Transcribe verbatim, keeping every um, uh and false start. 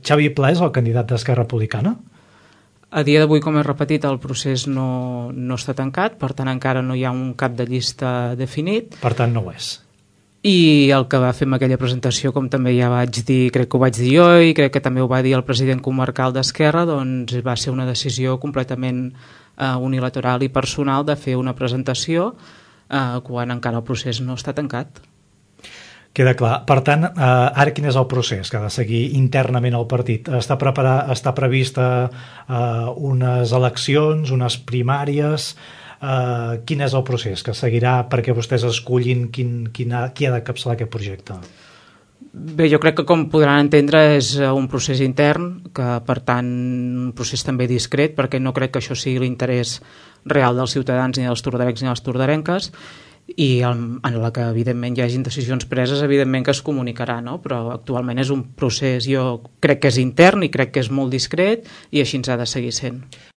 Xavi Pla és el candidat d'Esquerra Republicana? A dia d'avui, com he repetit, el procés no, no està tancat, per tant encara no hi ha un cap de llista definit. Per tant no ho és. I el que va fer amb aquella presentació, com també ja vaig dir, crec que ho vaig dir jo i crec que també ho va dir el president comarcal d'Esquerra, doncs va ser una decisió completament eh, unilateral i personal de fer una presentació eh, quan encara el procés no està tancat. Queda clar. Per tant, eh, ara quin és el procés que ha de seguir internament el partit? Està, preparar, està prevista eh, unes eleccions, unes primàries? Eh, quin és el procés que seguirà perquè vostès escullin quin, quin ha, qui ha de capçalar aquest projecte? Bé, jo crec que com podran entendre és un procés intern, que per tant un procés també discret, perquè no crec que això sigui l'interès real dels ciutadans ni dels tordarencs ni dels tordarenques, i en la que evidentment hi hagin decisions preses evidentment que es comunicarà, no? Però actualment és un procés, jo crec que és intern i crec que és molt discret i així ens ha de seguir sent.